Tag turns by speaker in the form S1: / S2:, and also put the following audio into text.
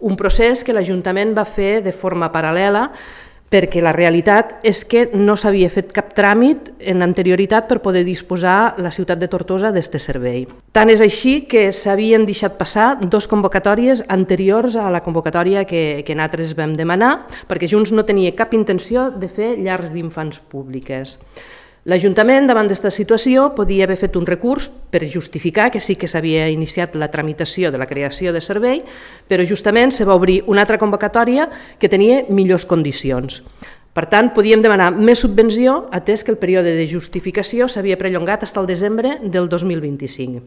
S1: Un procés que l'Ajuntament va fer de forma paral·lela perquè la realitat és que no s'havia fet cap tràmit en anterioritat per poder disposar la ciutat de Tortosa d'aquest servei. Tant és així que s'havien deixat passar 2 convocatòries anteriors a la convocatòria que nosaltres vam demanar, perquè Junts no tenia cap intenció de fer llars d'infants públiques. L'Ajuntament, davant d'aquesta situació, podia haver fet un recurs per justificar que sí que s'havia iniciat la tramitació de la creació de servei, però justament se va obrir una altra convocatòria que tenia millors condicions. Per tant, podíem demanar més subvenció, atès que el període de justificació s'havia perllongat fins al desembre del 2025.